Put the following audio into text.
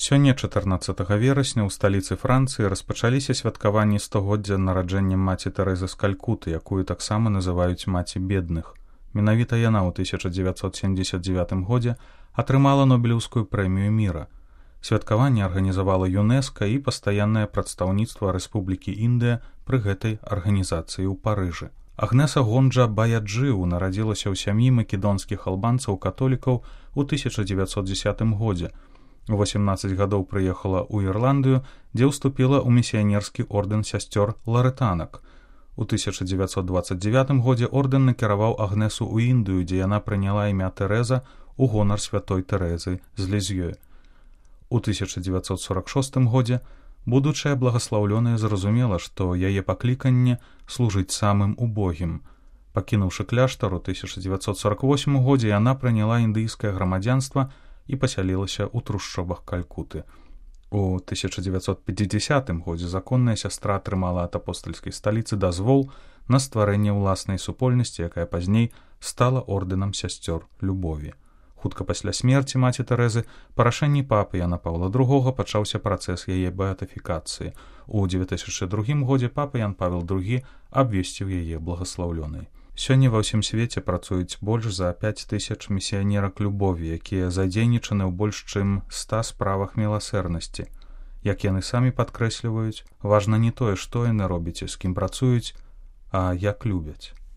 Сёння 14 верасня ў сталіцы Францыі распачаліся святкаванні 100годдзя нараджэння маці Тэрэзы з Калькуты, якую таксама называюць маці бедных. Менавіта яна ў 1979 годзе атрымала Нобелеўскую прэмію міра. Святкаванне арганізавала ЮНЕСКО і пастаяннае прадстаўніцтва Рэспублікі Індыя пры гэтай арганізацыі ў Парыжы. Агнеса Гонджа Баяджыў нарадзілася ў сям'і македонскіх албанцаў-католікаў у 1910 годзе. У 18 гадоў прыехала ў Ірландыю, дзе ўступіла ў місіянерскі ордэн сясцёр ларэтанак. У 1929 годзе ордэн накіраваў Агнесу ў Індыю, дзе яна прыняла імя Тэрэза ў гонар святой Тэрэзы з Лізьё. У 1946 годзе будучая благаслаўлёная зразумела, што яе пакліканне служыць самым убогім. Пакінуўшы кляштар у 1948 годзе, яна прыняла індыйскае грамадзянства і пасялілася ў трушчобах Калькуты. У 1950 годзе законная сястра атрымала ад апостальскай сталіцы дазвол на стварэнне ўласнай супольнасці, якая пазней стала ордэнам сясцёр любові. Хутка пасля смерці маці Тэрэзы па рашэнні папы Яна Паўла II пачаўся працэс яе беатыфікацыі. У 2002 годзе папа Ян Павел II абвесціў яе благаслаўлёнай. Сёння ва ўсім свеце працуюць больш за 5000 місіянерак любові, якія задзейнічаны ў больш чым 100 справах міласэрнасці. Як яны самі падкрэсліваюць, важна не тое, што яны робяць і з кім працуюць, а як любяць.